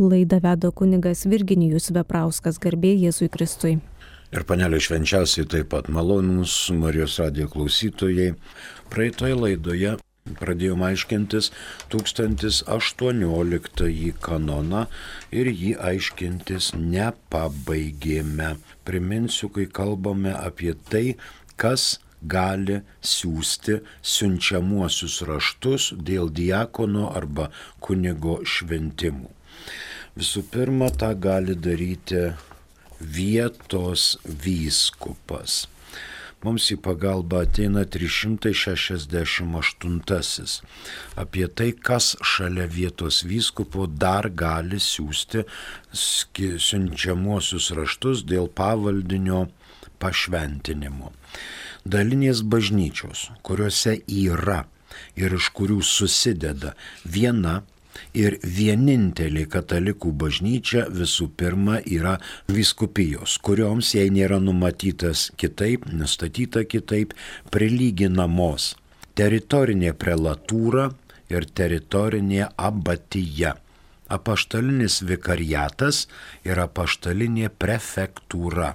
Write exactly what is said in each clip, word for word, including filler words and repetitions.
Laidą veda kunigas Virginijus Veprauskas, garbė Jėzui Kristui. Ir panelė švenčiausiai taip pat malonūs Marijos radijo klausytojai. Praeitoje laidoje pradėjom aiškintis tūkstantis aštuonioliktąjį kanoną ir jį aiškintis nepabaigėme. Priminsiu, kai kalbame apie tai, kas gali siųsti siunčiamuosius raštus dėl diakono arba kunigo šventimų. Visų pirma, tą gali daryti vietos vyskupas. Mums į pagalbą ateina trys šimtai šešiasdešimt aštuntasis. Apie tai, kas šalia vietos vyskupo dar gali siųsti siunčiamuosius raštus dėl pavaldinio pašventinimo. Dalinės bažnyčios, kuriuose yra ir iš kurių susideda viena ir vienintelė katalikų bažnyčia visų pirma yra vyskupijos, kurioms jei nėra numatytas kitaip, nustatyta kitaip, prilyginamos teritorinė prelatūra ir teritorinė abatija, apaštalinis vikariatas ir apaštalinė prefektūra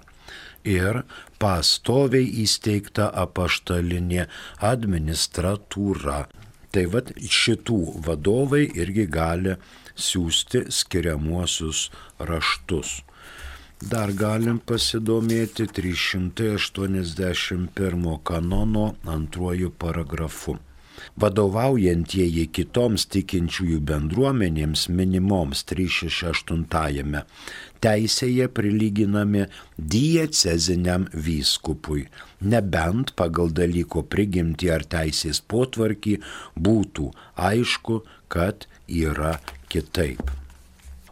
ir pastoviai įsteigta apaštalinė administratūra. Tai vad šitų vadovai irgi gali siųsti skiriamuosius raštus. Dar galim pasidomėti trys šimtai aštuoniasdešimt pirmo kanono antruoju paragrafu. Vadovaujantieji kitoms tikinčiųjų bendruomenėms minimoms trys šimtai šešiasdešimt aštuntajame teisėje prilyginami dieceziniam vyskupui, nebent pagal dalyko prigimtį ar teisės potvarkį būtų aišku, kad yra kitaip.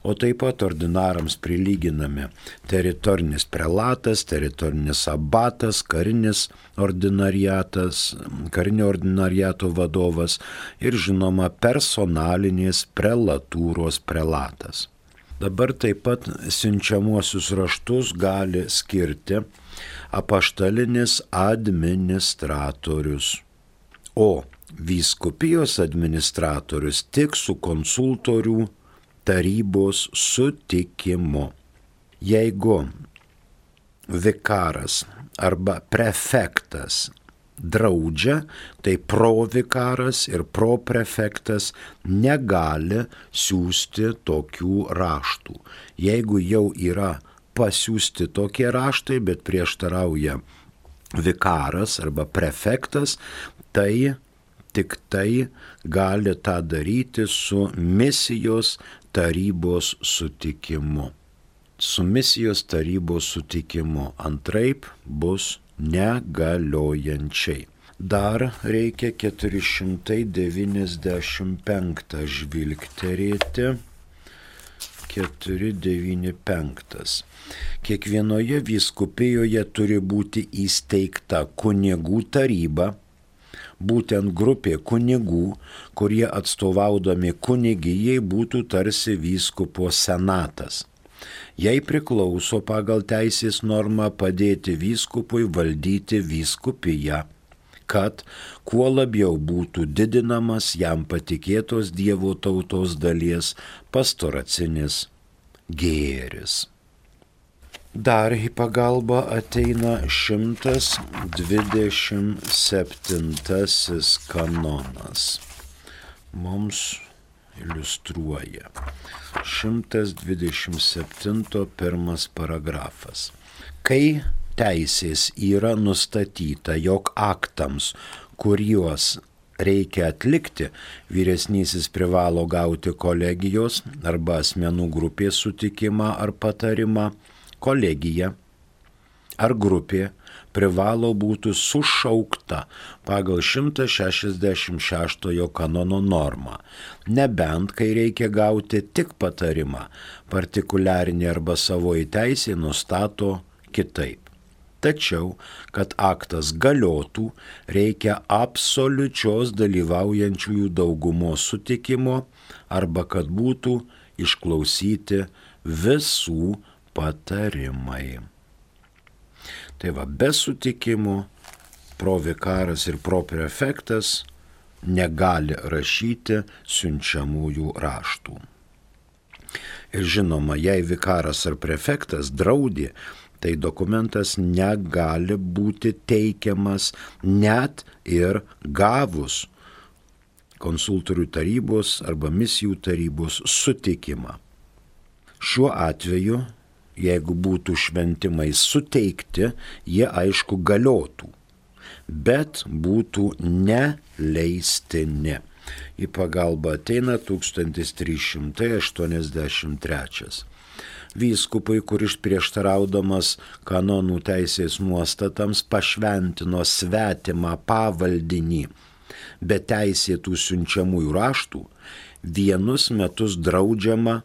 O taip pat ordinarams prilyginami teritorinis prelatas, teritorinis abatas, karinis ordinariatas, karinio ordinariato vadovas ir žinoma personalinės prelatūros prelatas. Dabar taip pat siunčiamuosius raštus gali skirti apaštalinis administratorius, o vyskupijos administratorius tik su konsultorių tarybos sutikimu. Jeigu vikaras arba prefektas draudžia, tai provikaras ir proprefektas negali siųsti tokių raštų. Jeigu jau yra pasiųsti tokie raštai, bet prieštarauja vikaras arba prefektas, tai tik tai gali tą daryti su misijos tarybos sutikimu. Su misijos tarybos sutikimu, antraip bus negaliojančiai. Dar reikia keturi šimtai devyniasdešimt penktą žvilgterėti. keturi devyniasdešimt penktas. Kiekvienoje vyskupijoje turi būti įsteigta kunigų taryba, būtent grupė kunigų, kurie atstovaudami kunigijai būtų tarsi vyskupo senatas. Jai priklauso pagal teisės normą padėti vyskupui valdyti vyskupiją, kad kuo labiau būtų didinamas jam patikėtos Dievo tautos dalies pastoracinis gėris. Dar į pagalbą ateina šimtas dvidešimt septintasis kanonas. Mums iliustruoja. šimtas dvidešimt septinto pirmas paragrafas. Kai teisės yra nustatyta, jog aktams, kuriuos reikia atlikti, vyresnysis privalo gauti kolegijos arba asmenų grupės sutikimą ar patarimą, kolegija ar grupė privalo būti sušaukta pagal šimtas šešiasdešimt šeštojo kanono normą, nebent kai reikia gauti tik patarimą, partikuliarinė arba savoji teisė nustato kitaip. Tačiau, kad aktas galiotų, reikia absoliučios dalyvaujančiųjų daugumos sutikimo arba kad būtų išklausyti visų patarimai. Tai va, be sutikimo provikaras ir proprefektas negali rašyti siunčiamųjų raštų. Ir žinoma, jei vikaras ar prefektas draudė, tai dokumentas negali būti teikiamas net ir gavus konsultorių tarybos arba misijų tarybos sutikimą. Šiuo atveju, jeigu būtų šventimai suteikti, jie aišku galiotų, bet būtų neleistini. Į pagalbą ateina tūkstantis trys šimtai aštuoniasdešimt trečias. Vyskupui, kuris prieštaraudamas kanonų teisės nuostatams pašventino svetimą pavaldinį be teisėtų siunčiamųjų raštų, vienus metus draudžiama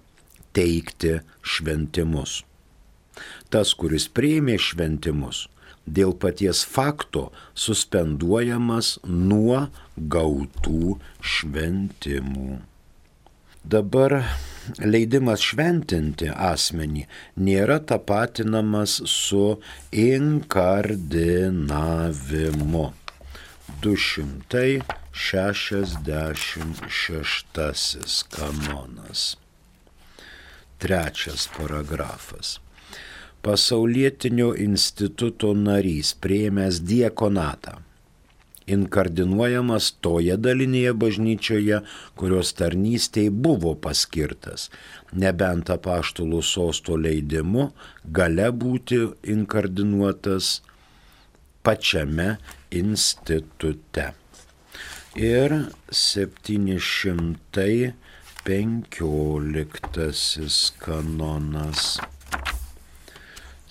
teikti šventimus. Tas, kuris priėmė šventimus, dėl paties fakto suspenduojamas nuo gautų šventimų. Dabar leidimas šventinti asmenį nėra tapatinamas su inkardinavimu. du šimtai šešiasdešimt šeštasis kanonas. Trečias paragrafas. Pasaulietinio instituto narys priėmęs diakonatą inkardinuojamas toje dalinėje bažnyčioje, kurios tarnystei buvo paskirtas, nebent apaštalų sosto leidimu gale būti inkardinuotas pačiame institute. Ir septyni šimtai penkioliktasis kanonas.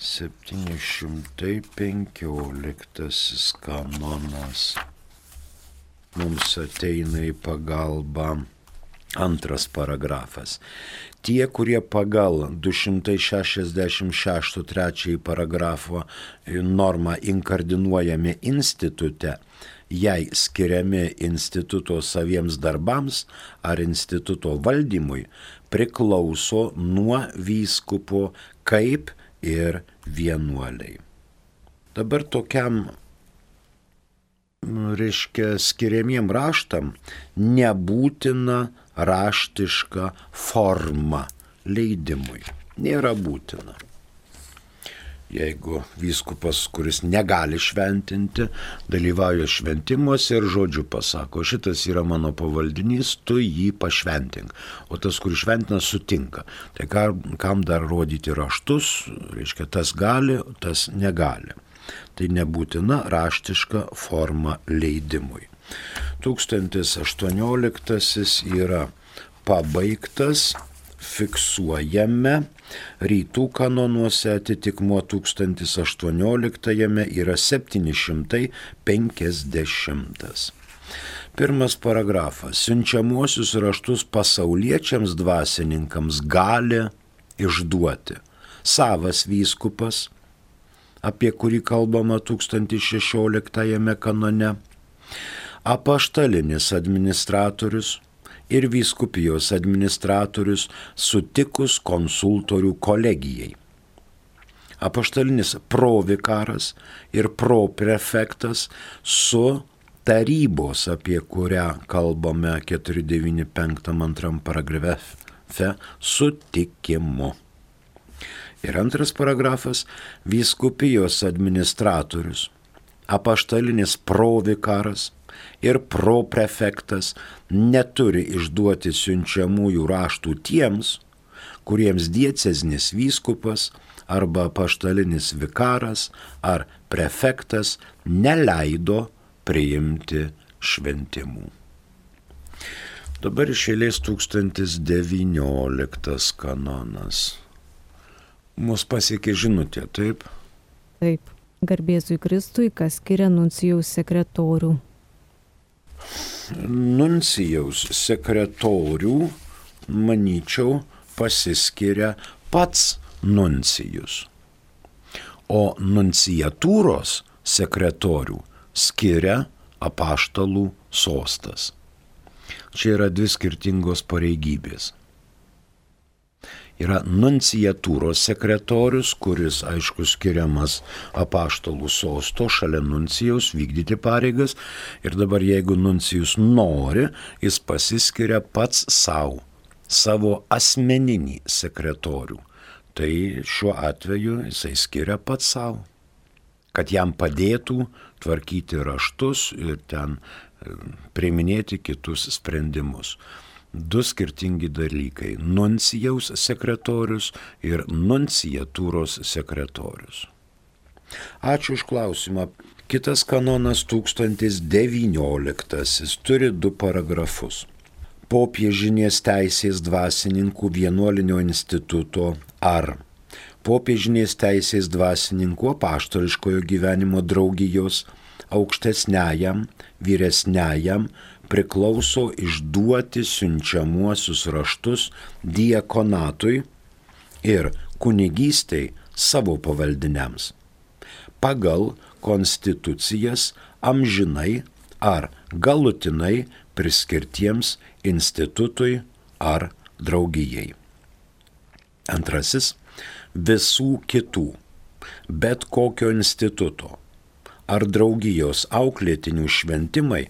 septyni šimtai penkioliktasis kanonas. Mums ateina į pagalbą antras paragrafas. Tie, kurie pagal du šimtai šešiasdešimt šeštą trečiąjį paragrafo normą inkardinuojami institute, jei skiriami instituto saviems darbams ar instituto valdymui, priklauso nuo vyskupo kaip ir vienuoliai. Dabar tokiam, reiškia, skiriamiem raštam nebūtina raštiška forma leidimui. Nėra būtina. Jeigu vyskupas, kuris negali šventinti, dalyvauja šventimuose ir žodžiu pasako, šitas yra mano pavaldinys, tu jį pašventink. O tas, kuris šventina, sutinka. Tai kam dar rodyti raštus, reiškia, tas gali, tas negali. Tai nebūtina raštiška forma leidimui. tūkstantis aštuonioliktasis yra pabaigtas, fiksuojame, rytų kanonuose atitikmuo tūkstantis aštuonioliktajame yra septyni šimtai penkiasdešimtas. Pirmas paragrafas. Siunčiamuosius raštus pasauliečiams dvasininkams gali išduoti savas vyskupas, apie kurį kalbama tūkstantis šešioliktajame kanone, apaštalinis administratorius ir vyskupijos administratorius sutikus konsultorių kolegijai. Apaštalinis provikaras ir proprefektas su tarybos, apie kurią kalbame keturi devyni penktam antram paragrafe, sutikimu. Ir antras paragrafas – vyskupijos administratorius, apaštalinis provikaras ir proprefektas neturi išduoti siunčiamųjų raštų tiems, kuriems dieceznis vyskupas arba apaštalinis vikaras ar prefektas neleido priimti šventimų. Dabar iš eilės tūkstantis devynioliktas kanonas. Mus pasiekė žinutė, taip? Taip. Garbėzui Kristui, kas skiria nuncijaus sekretorių. Nuncijaus sekretorių, manyčiau, pasiskiria pats nuncijus. O nunciatūros sekretorių skiria apaštalų sostas. Čia yra dvi skirtingos pareigybės. Yra nunciatūros sekretorius, kuris, aišku, skiriamas apaštalų sosto šalia nuncijaus vykdyti pareigas. Ir dabar, jeigu nuncijus nori, jis pasiskiria pats savo savo asmeninį sekretorių. Tai šiuo atveju jisai skiria pats savo, kad jam padėtų tvarkyti raštus ir ten priiminėti kitus sprendimus. Du skirtingi dalykai - nuncijaus sekretorius ir nunciatūros sekretorius. Ačiū už klausimą. Kitas kanonas tūkstantis devynioliktasis turi du paragrafus. Popiežinės teisės dvasininkų vienuolinio instituto ar popiežinės teisės dvasininkų apaštališkojo gyvenimo draugijos aukštesniajam, vyresniajam priklauso išduoti siunčiamuosius raštus diakonatui ir kunigystei savo pavaldiniams pagal konstitucijas amžinai ar galutinai priskirtiems institutui ar draugijai. Antrasis - visų kitų, bet kokio instituto ar draugijos auklėtinių šventimai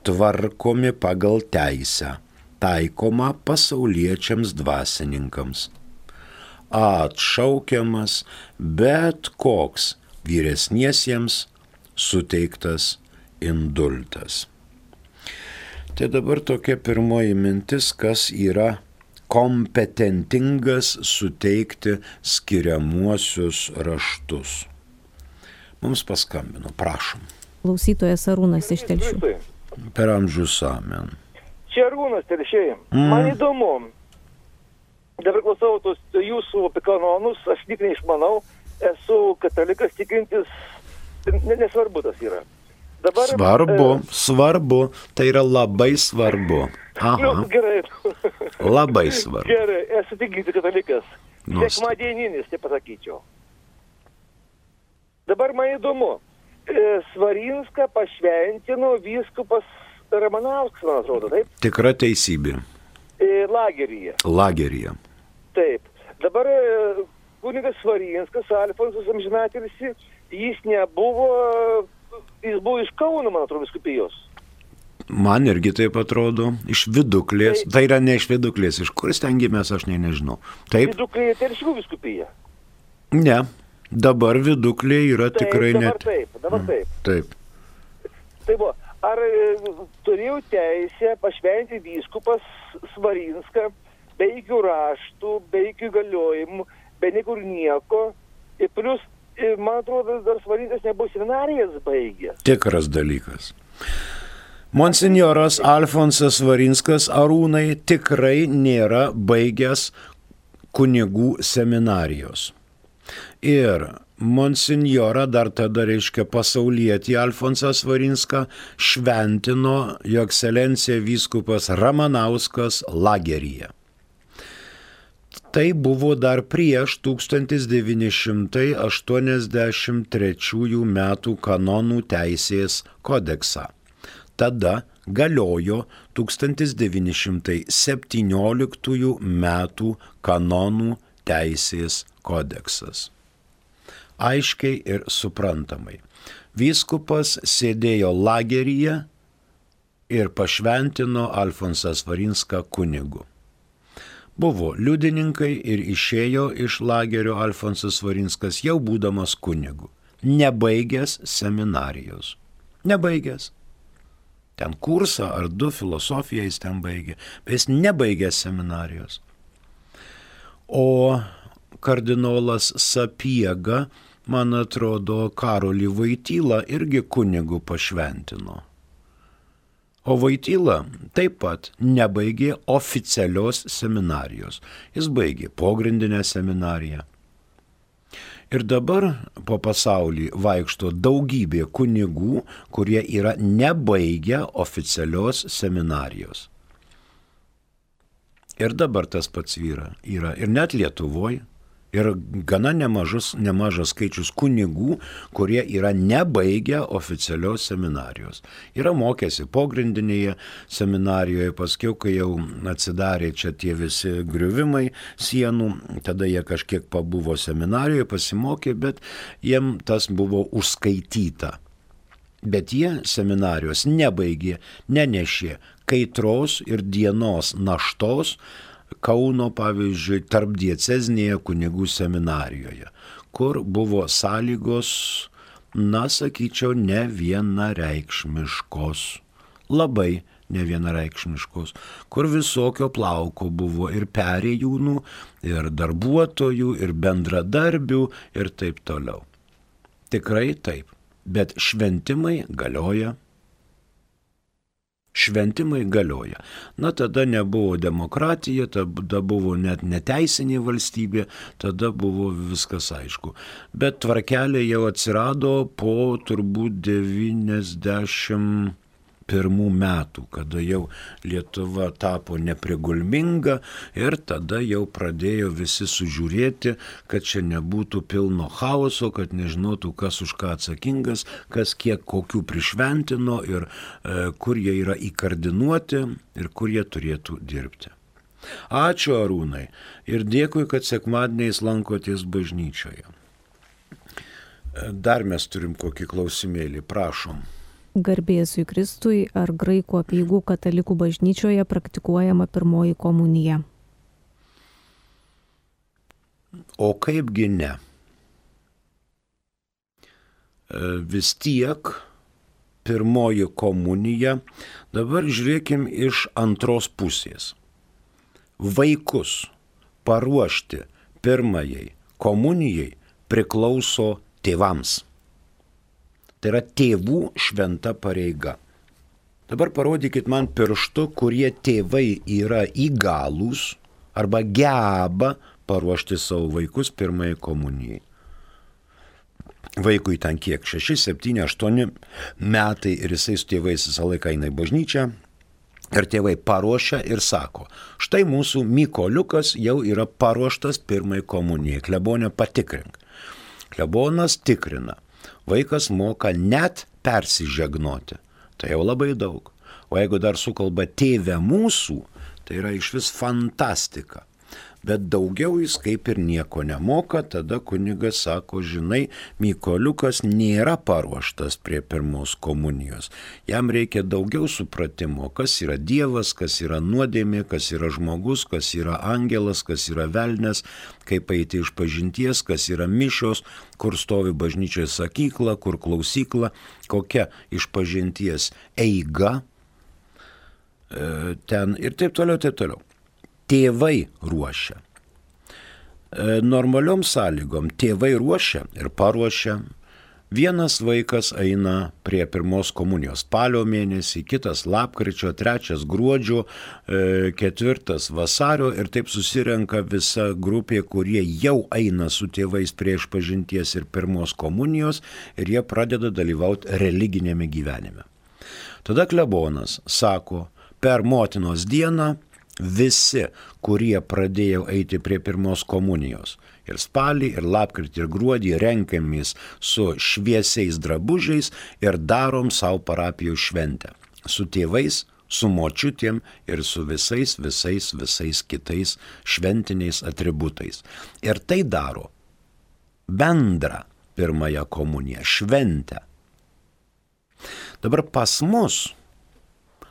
tvarkomi pagal teisę, taikoma pasauliečiams dvasininkams. Atšaukiamas bet koks vyresniesiems suteiktas indultas. Tai dabar tokia pirmoji mintis, kas yra kompetentingas suteikti skiriamuosius raštus. Mums paskambino, prašom. Klausytojas Arūnas iš Telšių. Per amžius amen. Čia Arūnas Telšiai. Mm. Man įdomu, dabar klausau tos jūsų apie kanonus, aš tik neišmanau, esu katalikas tikintis, nesvarbu tas yra. Dabar, svarbu, e... svarbu, tai yra labai svarbu. Aha. Nu, gerai. Labai svarbu. Gerai, esu tikintis katalikas. Sekmadieninis, tai pasakyčiau. Dabar man įdomu, Svarinską pašventino vyskupas Ramanauskas, man atrodo, taip? Tikra teisybė. Lageryje. Lageryje. Taip. Dabar kunigas Svarinskas, Alfonsas amžinatilsį, jis nebuvo, jis buvo iš Kauno, man atrodo, vyskupijos. Man irgi taip atrodo, iš Viduklės. Tai, tai yra ne iš Viduklės, iš kur stengiamės, aš ne, nežinau. Taip. Viduklėje Telšių vyskupija. Ne. Dabar Viduklė yra taip, tikrai dabar net... Taip, dabar taip. Taip. Tai buvo, ar turėjau teisę pašventi vyskupas Svarinską be jokių raštų, be jokių įgaliojimų, be niekur nieko. Ir plus, man atrodo, dar Svarinskas nebuvo seminarijas baigęs. Tikras dalykas. Monsinjoras Alfonsas Svarinskas Arūnai tikrai nėra baigęs kunigų seminarijos. Ir monsinjorą dar tada, reiškia, pasaulietį Alfonsą Svarinską šventino jo ekscelencija vyskupas Ramanauskas Lageryje. Tai buvo dar prieš tūkstantis devyni šimtai aštuoniasdešimt trečiųjų metų kanonų teisės kodeksą. Tada galiojo tūkstantis devyni šimtai septynioliktųjų metų kanonų teisės kodeksas. Aiškiai ir suprantamai. Vyskupas sėdėjo lageryje ir pašventino Alfonsą Svarinską kunigu. Buvo liudininkai ir išėjo iš lagerio Alfonsas Svarinskas jau būdamas kunigu, nebaigęs seminarijos. Nebaigęs. Ten kursą ar du filosofiją jis ten baigė, bet jis nebaigęs seminarijos. O kardinolas Sapiega, man atrodo, Karolį Vaitylą irgi kunigu pašventino. O Vaitylą taip pat nebaigė oficialios seminarijos. Jis baigė pogrindinę seminariją. Ir dabar po pasaulį vaikšto daugybė kunigų, kurie yra nebaigę oficialios seminarijos. Ir dabar tas pats yra. yra. Ir net Lietuvoje. Ir gana nemažas, nemažas skaičius kunigų, kurie yra nebaigę oficialios seminarijos. Yra mokėsi pogrindinėje seminarijoje, paskiau, kai jau atsidarė čia tie visi griuvimai sienų, tada jie kažkiek pabuvo seminarijoje, pasimokė, bet jiem tas buvo užskaityta. Bet jie seminarijos nebaigė, nenešė kaitros ir dienos naštos, Kauno, pavyzdžiui, tarpdiecezinėje kunigų seminarijoje, kur buvo sąlygos, na, sakyčiau, ne vienareikšmiškos, labai nevienareikšmiškos, kur visokio plauko buvo ir perėjūnų, ir darbuotojų, ir bendradarbių, ir taip toliau. Tikrai taip, bet šventimai galioja. Šventimai galioja. Na, tada nebuvo demokratija, tada buvo net neteisinė valstybė, tada buvo viskas aišku. Bet tvarkelė jau atsirado po turbūt devyniasdešimt pirmų metų, kada jau Lietuva tapo neprigulminga ir tada jau pradėjo visi sužiūrėti, kad čia nebūtų pilno chaoso, kad nežinotų, kas už ką atsakingas, kas kiek kokių prišventino ir e, kur jie yra įkardinuoti ir kur jie turėtų dirbti. Ačiū, Arūnai, ir dėkui, kad sekmadieniais lankotės bažnyčioje. Dar mes turim kokį klausimėlį, prašom. Garbėzui Kristui, ar graikų apeigų katalikų bažnyčioje praktikuojama pirmoji komunija? O kaipgi ne? Vis tiek pirmoji komunija, dabar žiūrėkim iš antros pusės. Vaikus paruošti pirmajai komunijai priklauso tėvams. Tai yra tėvų šventa pareiga. Dabar parodykit man pirštu, kurie tėvai yra įgalūs arba geba paruošti savo vaikus pirmai komunijai. Vaikui ten kiek? šeši, septyni, aštuoni metai ir jisai su tėvais visą laiką eina į bažnyčią. Ir tėvai paruošia ir sako, štai mūsų Mykoliukas jau yra paruoštas pirmai komunijai. Klebonė patikrink. Klebonas tikrina. Vaikas moka net persižegnoti. Tai jau labai daug. O jeigu dar sukalba tėve mūsų, tai yra išvis fantastika. Bet daugiau jis kaip ir nieko nemoka, tada kunigas sako, žinai, Mykoliukas nėra paruoštas prie pirmos komunijos. Jam reikia daugiau supratimo, kas yra Dievas, kas yra nuodėmė, kas yra žmogus, kas yra angelas, kas yra velnias, kaip eiti iš pažinties, kas yra mišios, kur stovi bažnyčioje sakykla, kur klausykla, kokia iš pažinties eiga, ten ir taip toliau, taip toliau. Tėvai ruošia. Normaliom sąlygom tėvai ruošia ir paruošia. Vienas vaikas eina prie pirmos komunijos spalio mėnesį, kitas lapkričio, trečias gruodžio, ketvirtas vasario ir taip susirenka visa grupė, kurie jau eina su tėvais prie išpažinties ir pirmos komunijos ir jie pradeda dalyvauti religinėme gyvenime. Tada klebonas sako, per motinos dieną visi, kurie pradėjo eiti prie pirmos komunijos, ir spalį, ir lapkritį, ir gruodį renkamės su šviesiais drabužiais ir darom savo parapijos šventę. Su tėvais, su močiutėm ir su visais, visais, visais kitais šventiniais atributais. Ir tai daro bendrą pirmąją komuniją, šventę. Dabar pas mus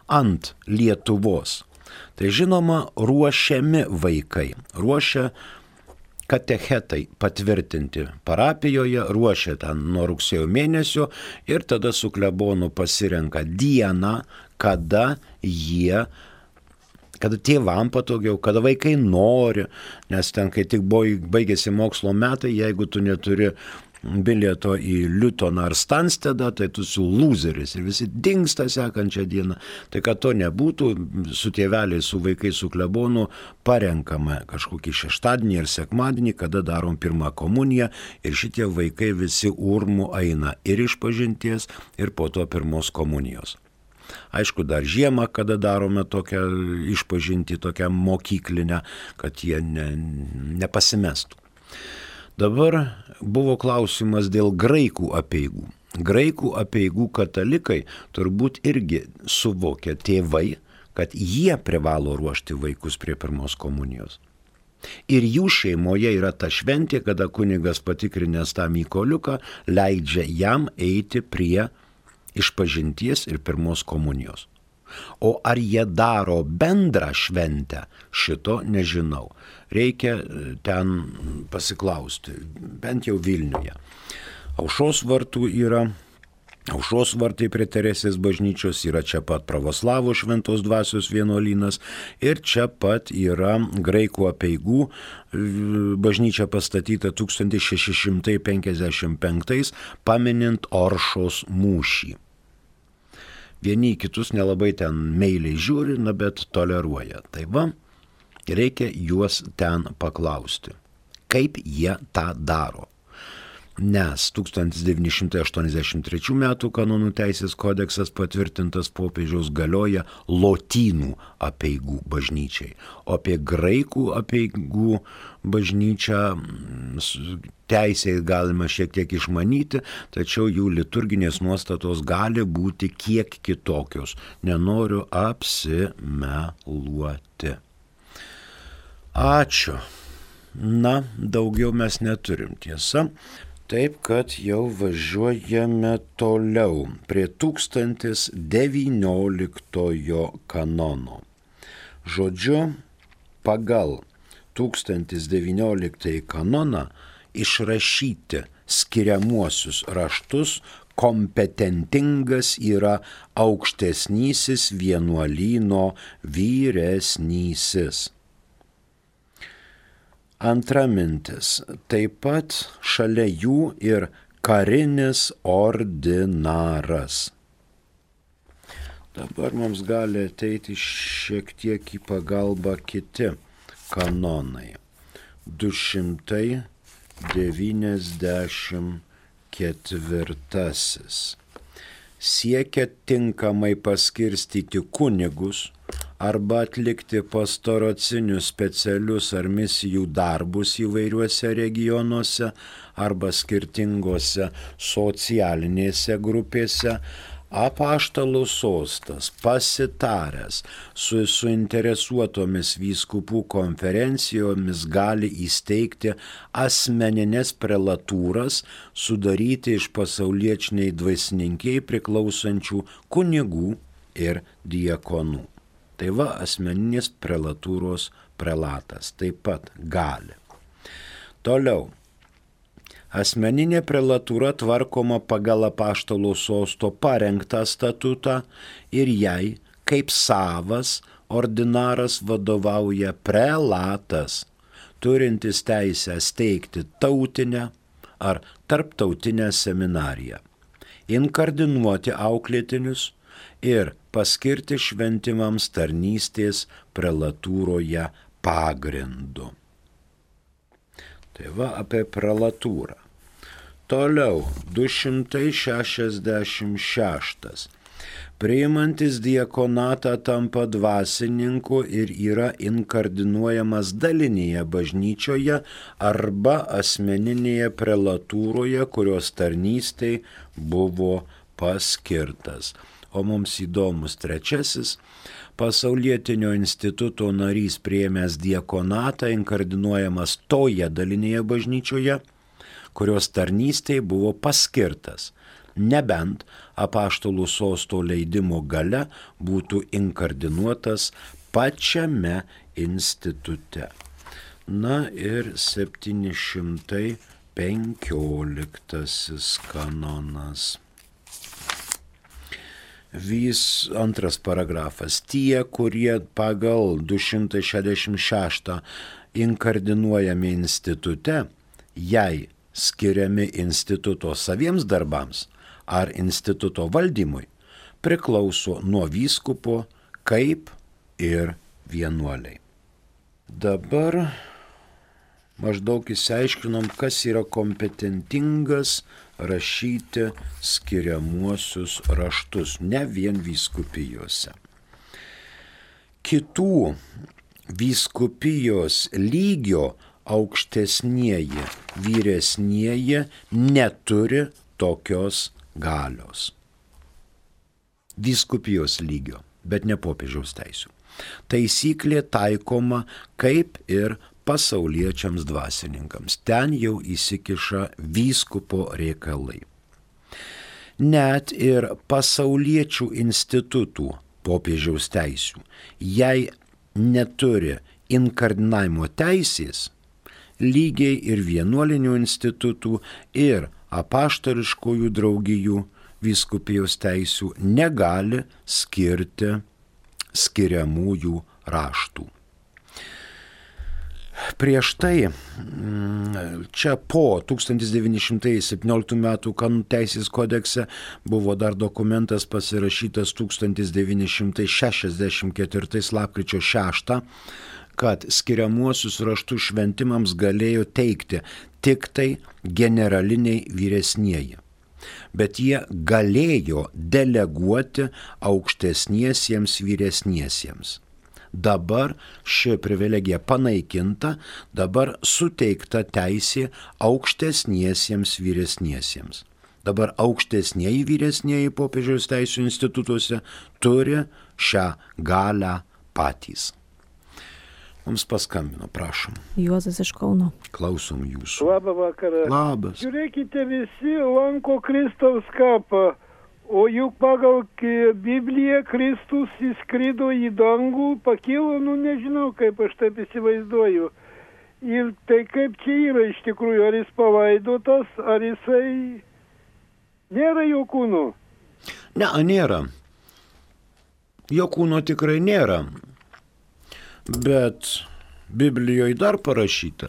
ant Lietuvos tai žinoma ruošiami vaikai, ruošia katechetai patvirtinti parapijoje, ruošia ten nuo rugsėjo mėnesio ir tada su klebonu pasirenka dieną, kada jie, kada tėvam patogiau, kada vaikai nori, nes ten, kai tik baigėsi mokslo metai, jeigu tu neturi bilieto į Liutoną ar Stanstedą, tai tu su lūzeris ir visi dingsta sekančią dieną. Tai kad to nebūtų, su tėveliais, su vaikais, su klebonu parenkame kažkokį šeštadienį ir sekmadienį, kada darom pirmą komuniją ir šitie vaikai visi urmu eina ir iš pažinties ir po to pirmos komunijos. Aišku, dar žiemą, kada darome tokią išpažintį, tokią mokyklinę, kad jie ne, nepasimestų. Dabar buvo klausimas dėl graikų apeigų. Graikų apeigų katalikai turbūt irgi suvokia tėvai, kad jie privalo ruošti vaikus prie pirmos komunijos. Ir jų šeimoje yra ta šventė, kada kunigas patikrinęs tą Mykoliuką leidžia jam eiti prie išpažinties ir pirmos komunijos. O ar jie daro bendrą šventę, šito nežinau. Reikia ten pasiklausti, bent jau Vilniuje. Aušros vartų yra, Aušros vartai prie Teresės bažnyčios yra čia pat pravoslavų šventos dvasios vienuolynas ir čia pat yra graikų apeigų bažnyčia pastatyta tūkstantis šeši šimtai penkiasdešimt penktais paminint Oršos mūšį. Vieni kitus nelabai ten meiliai žiūri, na bet toleruoja. Tai va, reikia juos ten paklausti, kaip jie tą daro. Nes tūkstantis devyni šimtai aštuoniasdešimt trečių metų kanonų teisės kodeksas patvirtintas popiežiaus galioja lotynų apeigų bažnyčiai. O apie graikų apeigų bažnyčią teisėje galima šiek tiek išmanyti, tačiau jų liturginės nuostatos gali būti kiek kitokios. Nenoriu apsimeluoti. Ačiū. Na, daugiau mes neturim, tiesa. Taip, kad jau važiuojame toliau prie tūkstantis devynioliktojo kanono. Žodžiu, pagal tūkstantis devynioliktąjį kanoną išrašyti skiriamuosius raštus kompetentingas yra aukštesnysis vienuolyno vyresnysis. Antra mintis, taip pat šalia jų ir karinis ordinaras. Dabar mums gali ateiti šiek tiek į pagalbą kiti kanonai. du šimtai devyniasdešimt ketvirtasis. Siekia tinkamai paskirstyti kunigus arba atlikti pastoracinius specialius ar misijų darbus įvairiuose regionuose arba skirtingose socialinėse grupėse, apaštalų sostas pasitaręs su suinteresuotomis vyskupų konferencijomis gali įsteigti asmeninės prelatūras, sudaryti iš pasauliečiai dvasininkiai priklausančių kunigų ir diakonų. Tai va, asmeninės prelatūros prelatas taip pat gali. Toliau. Asmeninė prelatūra tvarkoma pagal apaštalų sosto parengtą statutą ir jai, kaip savas, ordinaras vadovauja prelatas, turintis teisę steigti tautinę ar tarptautinę seminariją, inkardinuoti auklėtinius ir paskirti šventimams tarnystės prelatūroje pagrindu. Tai va apie prelatūrą. Toliau, du šimtai šešiasdešimt šeštas. Priimantis diakonatą tampa dvasininku ir yra inkardinuojamas dalinėje bažnyčioje arba asmeninėje prelatūroje, kurios tarnystei buvo paskirtas. O mums įdomus trečiasis. Pasaulietinio instituto narys priėmęs diakonatą inkardinuojamas toje dalinėje bažnyčioje, kurios tarnystei buvo paskirtas, nebent apaštalų sosto leidimo gale būtų inkardinuotas pačiame institute. Na ir septyni šimtai penkioliktasis kanonas. Vis antras paragrafas. Tie, kurie pagal du šimtai šešiasdešimt šeštą inkardinuojami institute, jei skiriami instituto saviems darbams ar instituto valdymui, priklauso nuo vyskupo kaip ir vienuoliai. Dabar maždaug išsiaiškinom, kas yra kompetentingas rašyti skiriamuosius raštus, ne vien vyskupijose. Kitų vyskupijos lygio aukštesnieji, vyresnieji neturi tokios galios. Vyskupijos lygio, bet ne popiežiaus teisių. Taisyklė taikoma kaip ir pasauliečiams dvasininkams. Ten jau įsikiša vyskupo reikalai. Net ir pasauliečių institutų popiežiaus teisių. Jei neturi inkardinavimo teisės, lygiai ir vienuolinių institutų, ir apaštališkųjų draugijų vyskupijos teisių negali skirti skiriamųjų raštų. Prieš tai, čia po tūkstantis devyni šimtai septynioliktų metų kanonų teisės kodekse buvo dar dokumentas pasirašytas tūkstantis devyni šimtai šešiasdešimt ketvirtais lapkričio šeštą, kad skiriamuosius raštus šventimams galėjo teikti tik tai generaliniai vyresnieji. Bet jie galėjo deleguoti aukštesniesiems vyresniesiems. Dabar ši privilegija panaikinta, dabar suteikta teisė aukštesniesiems vyresniesiems. Dabar aukštesnieji vyresnieji popiežiaus teisų institutuose turi šią galią patys. Mums paskambino, prašom. Juozas iš Kauno. Klausom jūsų. Labą vakarą. Labas. Žiūrėkite, visi lanko Kristaus kapą, o juk pagal Bibliją Kristus įskrido į dangų, pakilo, nu nežinau, kaip aš taip įsivaizduoju. Ir tai kaip čia yra iš tikrųjų, ar jis palaidotas, ar jisai nėra jo kūno? Ne, nėra. Jo kūno tikrai nėra. Bet Biblijoje dar parašyta,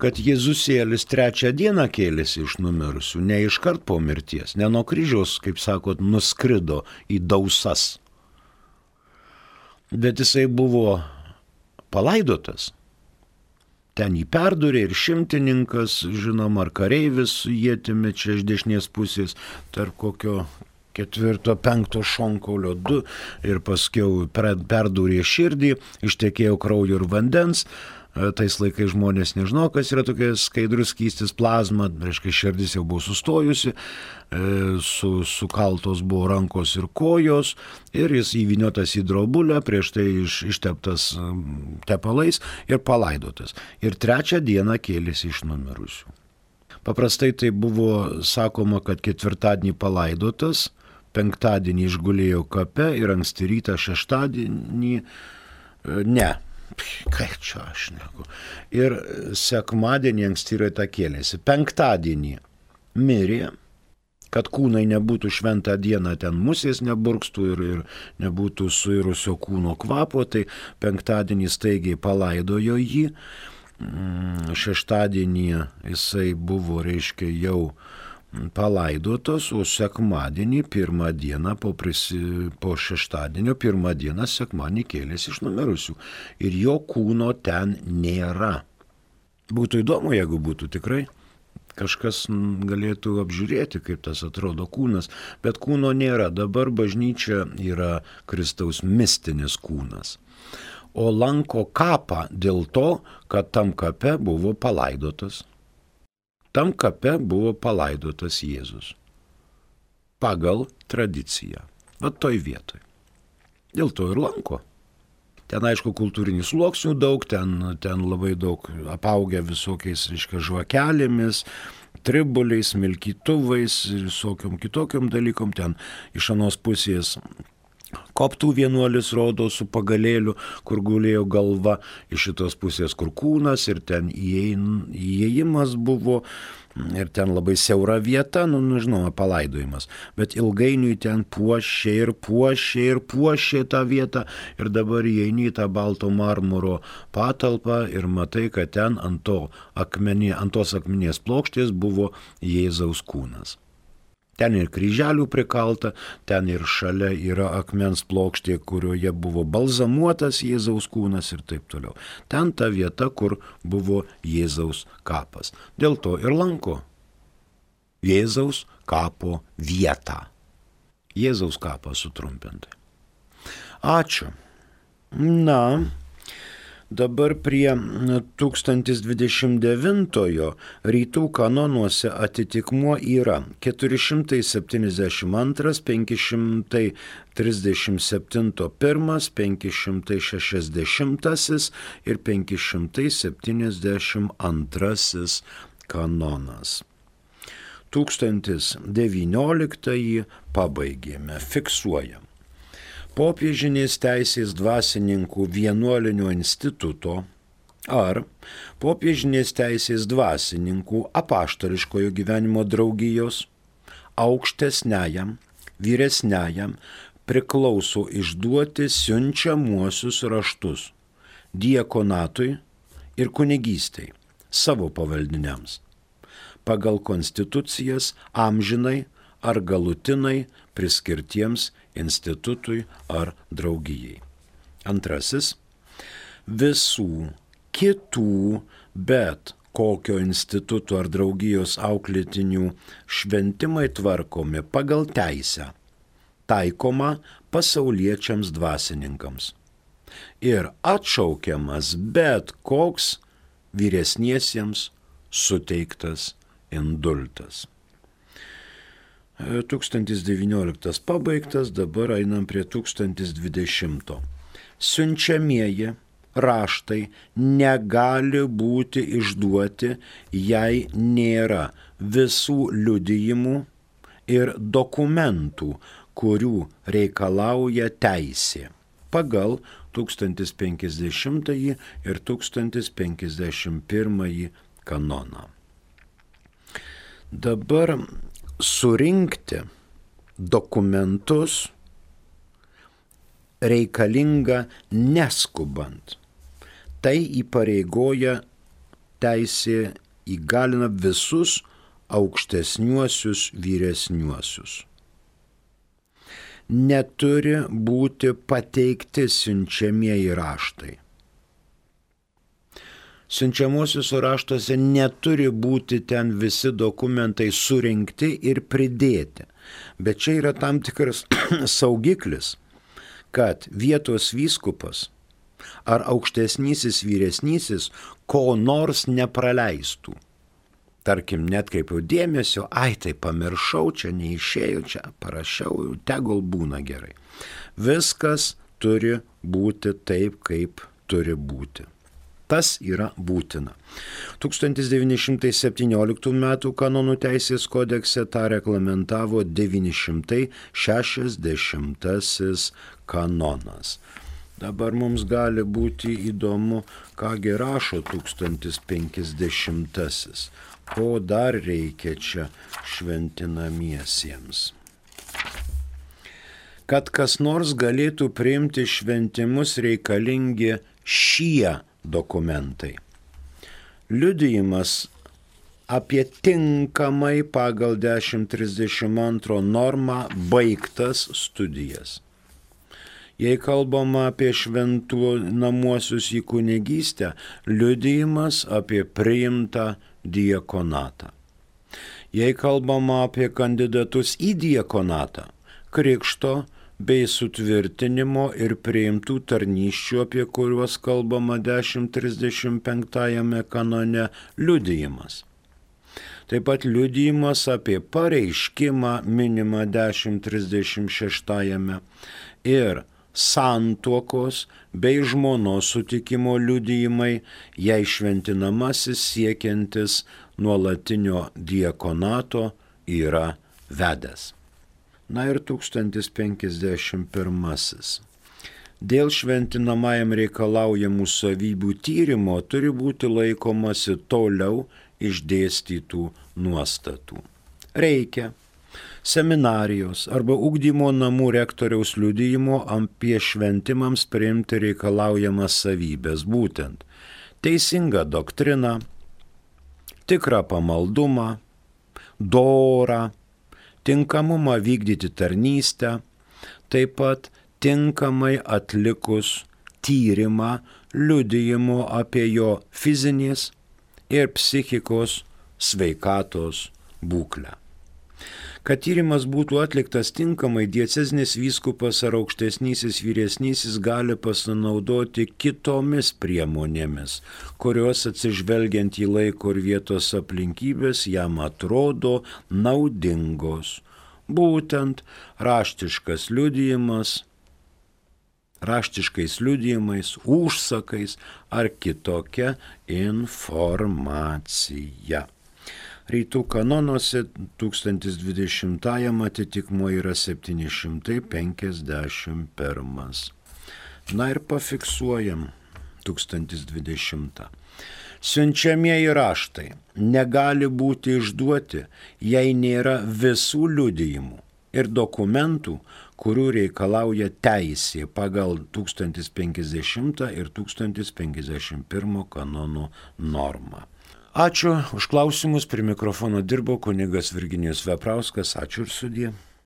kad Jėzusėlis trečią dieną kėlėsi iš numirusių, ne iškart po mirties, ne nuo kryžiaus, kaip sakot, nuskrido į dausas. Bet jisai buvo palaidotas. Ten jį perdūrė ir šimtininkas, žinoma, ar kareivis su ietimi čia iš dešinės pusės, tarp kokio ketvirto, penkto šonkaulio du ir paskiau perdūrė širdį, ištekėjo kraujo ir vandens. Tais laikais žmonės nežino, kas yra tokia skaidrus skystis plazma, reiškia širdis jau buvo sustojusi, su, sukaltos buvo rankos ir kojos ir jis įvyniotas į drobulę, prieš tai iš, išteptas tepalais ir palaidotas. Ir trečią dieną kėlėsi iš numirusių. Paprastai tai buvo sakoma, kad ketvirtadienį palaidotas, penktadienį išgulėjo kape ir anksti rytą šeštadienį ne. Ką čia aš neku. Ir sekmadienį anksti rytą kėlėsi. Penktadienį mirė, kad kūnai nebūtų šventą dieną ten musės neburkstų ir, ir nebūtų suirusio kūno kvapo, tai penktadienį staigiai palaidojo jį. Šeštadienį jisai buvo, reiškia, jau palaidotas, o sekmadienį pirmą dieną po, prisi, po šeštadienio pirmą dieną sekmadienį kėlėsi iš numirusių. Ir jo kūno ten nėra. Būtų įdomu, jeigu būtų tikrai. Kažkas galėtų apžiūrėti, kaip tas atrodo kūnas, bet kūno nėra. Dabar bažnyčia yra Kristaus mistinis kūnas. O lanko kapą dėl to, kad tam kape buvo palaidotas. Tam kape buvo palaidotas Jėzus. Pagal tradiciją. Bet toj vietoj. Dėl to ir lanko. Ten, aišku, kultūrinių sluoksnių daug, ten, ten labai daug apaugę visokiais, reiškia, žvakelėmis, tribuliais, milkytuvais ir visokiom kitokiom dalykom. Ten iš anos pusės koptų vienuolis rodo su pagalėliu, kur gulėjo galva, iš šitos pusės kur kūnas ir ten įėjimas buvo ir ten labai siaura vieta, nu, nu žinoma, palaidojimas. Bet ilgainiui ten puošė ir puošė ir puošė tą vietą ir dabar įeini į tą balto marmuro patalpą ir matai, kad ten ant, to akmenė, ant tos akmenės plokštės buvo Jėzaus kūnas. Ten ir kryželių prikalta, ten ir šalia yra akmens plokštė, kurioje buvo balzamuotas Jėzaus kūnas ir taip toliau. Ten ta vieta, kur buvo Jėzaus kapas. Dėl to ir lanko Jėzaus kapo vietą. Jėzaus kapą sutrumpintai. Ačiū. Na, dabar prie tūkstantis dvidešimt devintojo rytų kanonuose atitikmuo yra keturi šimtai septyniasdešimt antras, penki šimtai trisdešimt septyni pirmas, penki šimtai šešiasdešimtasis ir penki šimtai septyniasdešimt antrasis kanonas. Tūkstantis devynioliktąjį pabaigėme, fiksuojam. popiežinės teisės dvasininkų vienuolinio instituto ar popiežinės teisės dvasininkų apaštališkojo gyvenimo draugijos aukštesniajam, vyresniajam priklauso išduoti siunčiamuosius raštus diakonatui ir kunigystei savo pavaldiniams pagal konstitucijas amžinai ar galutinai priskirtiems institutui ar draugijai. Antrasis, visų kitų, bet kokio instituto ar draugijos auklėtinių šventimai tvarkomi pagal teisę, taikoma pasauliečiams dvasininkams ir atšaukiamas bet koks vyresniesiems suteiktas indultas. tūkstantis devynioliktas pabaigtas, dabar einam prie tūkstantis dvidešimto. Siunčiamieji raštai negali būti išduoti, jei nėra visų liudijimų ir dokumentų, kurių reikalauja teisė pagal tūkstantis penkiasdešimtąjį ir tūkstantis penkiasdešimt pirmąjį kanoną. Dabar surinkti dokumentus reikalinga neskubant. Tai įpareigoja teisė, įgalina visus aukštesniuosius vyresniuosius. Neturi būti pateikti siunčiamieji raštai. Siunčiamuosiuose raštuose neturi būti ten visi dokumentai surinkti ir pridėti. Bet čia yra tam tikras saugiklis, kad vietos vyskupas ar aukštesnysis vyresnysis ko nors nepraleistų. Tarkim, net kaip jau dėmesio, ai tai pamiršau, čia neišėjau, čia parašiau, tegul būna gerai. Viskas turi būti taip, kaip turi būti. Tas yra būtina. tūkstantis devyni šimtai septynioliktų metų kanonų teisės kodekse tą reglamentavo devyni šimtai šešiasdešimtasis kanonas. Dabar mums gali būti įdomu, kągi rašo tūkstantis penkiasdešimtasis. Ko dar reikia čia šventinamiesiems? Kad kas nors galėtų priimti šventimus, reikalingi šie dokumentai. Liudijimas apie tinkamai pagal dešimt trisdešimt antrą normą baigtas studijas. Jei kalbama apie šventų namuosius į kunigystę, liudijimas apie priimtą diakonatą. Jei kalbama apie kandidatus į diakonatą, krikšto bei sutvirtinimo ir priimtų tarnysčių, apie kuriuos kalbama dešimt trisdešimt penktajame kanone, liudijimas. Taip pat liudijimas apie pareiškimą minimą dešimt trisdešimt šeštajame ir santuokos bei žmonos sutikimo liudijimai, jei šventinamasis siekiantis nuolatinio diakonato yra vedęs. Na ir tūkstantis penkiasdešimt pirmasis. Dėl šventinamajam reikalaujamų savybių tyrimo turi būti laikomasi toliau išdėstytų nuostatų. Reikia seminarijos arba ugdymo namų rektoriaus liudijimo apie šventimams priimti reikalaujamas savybės, būtent teisingą doktriną, tikrą pamaldumą, dorą, tinkamumą vykdyti tarnystę, taip pat tinkamai atlikus tyrimą liudijimo apie jo fizinės ir psichikos sveikatos būklę. Kad tyrimas būtų atliktas tinkamai, diecezinis vyskupas ar aukštesnysis vyresnysis gali pasinaudoti kitomis priemonėmis, kurios atsižvelgiant į laiko ir vietos aplinkybės jam atrodo naudingos. Būtent raštiškas liudijimas, raštiškais liudijimais, užsakais ar kitokia informacija. Rytų kanonuose tūkstantis dvidešimtajam atitikmuo yra septyni šimtai penkiasdešimt pirmas. Na ir pafiksuojam tūkstantis dvidešimtą. Siunčiamieji raštai negali būti išduoti, jei nėra visų liudijimų ir dokumentų, kurių reikalauja teisė pagal tūkstantis penkiasdešimtą ir tūkstantis penkiasdešimt pirmą kanonų normą. Ačiū už klausimus, prie mikrofono dirbo kunigas Virginijus Veprauskas, ačiū ir sudie.